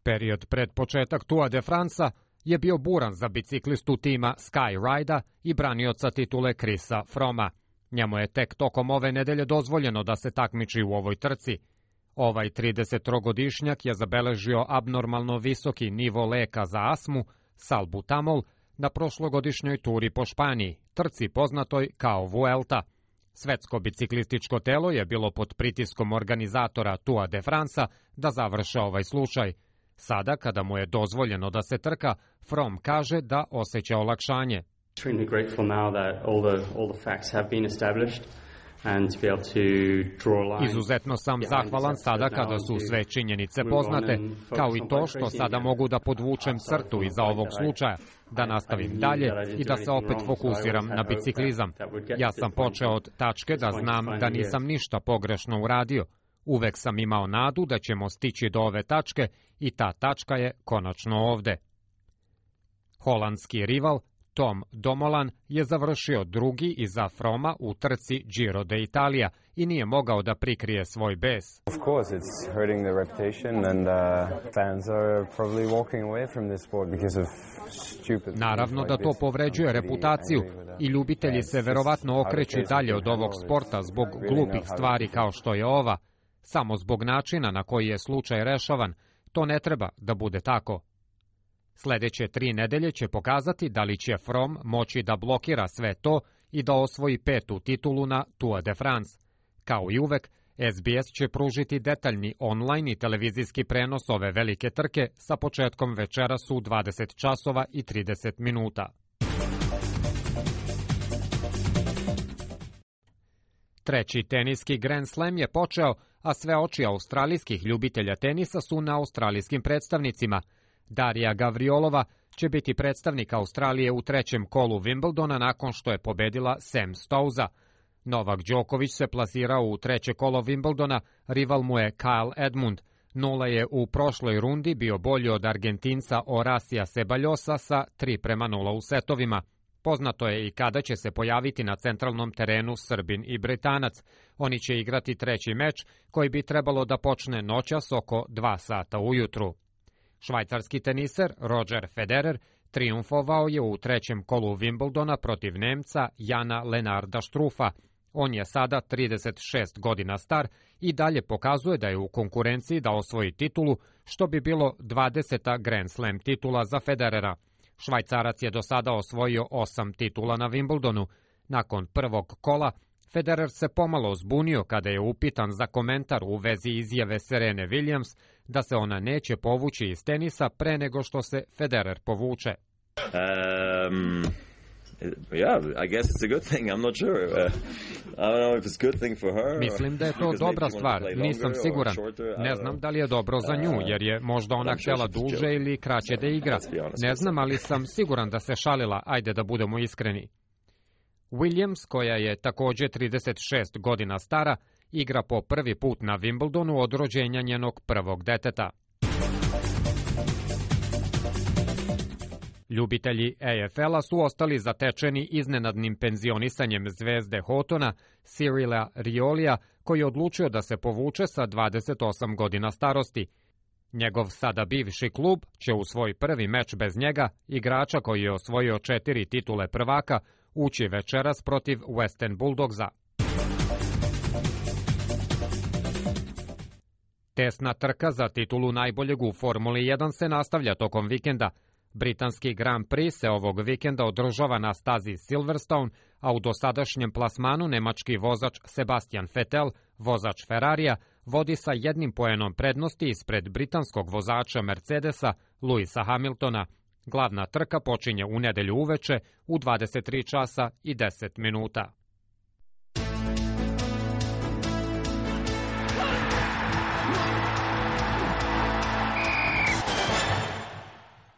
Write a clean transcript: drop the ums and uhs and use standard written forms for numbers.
Period pred početak Tour de France-a je bio buran za biciklistu tima Skyrida i branioca titule Chrisa Frooma. Njemu je tek tokom ove nedelje dozvoljeno da se takmiči u ovoj trci. Ovaj 33-godišnjak je zabeležio abnormalno visoki nivo leka za astmu, salbutamol, na prošlogodišnjoj turi po Španiji, trci poznatoj kao Vuelta. Svetsko biciklističko telo je bilo pod pritiskom organizatora Tour de France-a da završe ovaj slučaj. Sada, kada mu je dozvoljeno da se trka, Froome kaže da osjeća olakšanje. Izuzetno sam zahvalan sada kada su sve činjenice poznate, kao i to što sada mogu da podvučem crtu iza ovog slučaja, da nastavim dalje i da se opet fokusiram na biciklizam. Ja sam počeo od tačke da znam da nisam ništa pogrešno uradio. Uvek sam imao nadu da ćemo stići do ove tačke i ta tačka je konačno ovde. Holandski rival Tom Dumoulin je završio drugi iza Frooma u trci Giro d'Italia i nije mogao da prikrije svoj bes. Naravno da to povređuje reputaciju i ljubitelji se verovatno okreću dalje od ovog sporta zbog glupih stvari kao što je ova. Samo zbog načina na koji je slučaj rešavan, to ne treba da bude tako. Sledeće 3 nedelje će pokazati da li će Froome moći da blokira sve to i da osvoji 5. titulu na Tour de France. Kao i uvek, SBS će pružiti detaljni online i televizijski prenos ove velike trke sa početkom večeras u 20 časova i 30 minuta. Treći teniski Grand Slam je počeo, a sve oči australijskih ljubitelja tenisa su na australijskim predstavnicima. Darija Gavriolova će biti predstavnik Australije u trećem kolu Wimbledona nakon što je pobedila Sam Stosura. Novak Đoković se plasirao u treće kolo Wimbledona, rival mu je Kyle Edmund. Nula je u prošloj rundi bio bolji od Argentinca Horacía Ceballosa sa 3:0 u setovima. Poznato je i kada će se pojaviti na centralnom terenu Srbin i Britanac. Oni će igrati treći meč koji bi trebalo da počne noćas oko 2 sata ujutru. Švajcarski teniser Roger Federer triumfovao je u trećem kolu Wimbledona protiv Nemca Jana Lenarda Štrufa. On je sada 36 godina star i dalje pokazuje da je u konkurenciji da osvoji titulu, što bi bilo 20. Grand Slam titula za Federera. Švajcarac je do sada osvojio 8 titula na Wimbledonu. Nakon prvog kola, Federer se pomalo zbunio kada je upitan za komentar u vezi izjave Serene Williams da se ona neće povući iz tenisa pre nego što se Federer povuče. Mislim da je to dobra stvar, nisam siguran. Ne znam da li je dobro za nju, jer je možda ona htjela duže ili kraće da igra. Ne znam, ali sam siguran da se šalila, ajde da budemo iskreni. Williams, koja je takođe 36 godina stara, igra po prvi put na Wimbledonu od rođenja njenog prvog deteta. Ljubitelji AFL-a su ostali zatečeni iznenadnim penzionisanjem zvezde Hotona, Cyrila Riolija, koji je odlučio da se povuče sa 28 godina starosti. Njegov sada bivši klub će u svoj prvi meč bez njega, igrača koji je osvojio 4 titule prvaka, ući večeras protiv Western Bulldogsa. Tesna trka za titulu najboljeg u Formuli 1 se nastavlja tokom vikenda. Britanski Grand Prix se ovog vikenda održava na stazi Silverstone, a u dosadašnjem plasmanu nemački vozač Sebastian Vettel, vozač Ferrarija, vodi sa 1 poenom prednosti ispred britanskog vozača Mercedesa Lewisa Hamiltona. Glavna trka počinje u nedelju uveče u 23 časa i 10 minuta.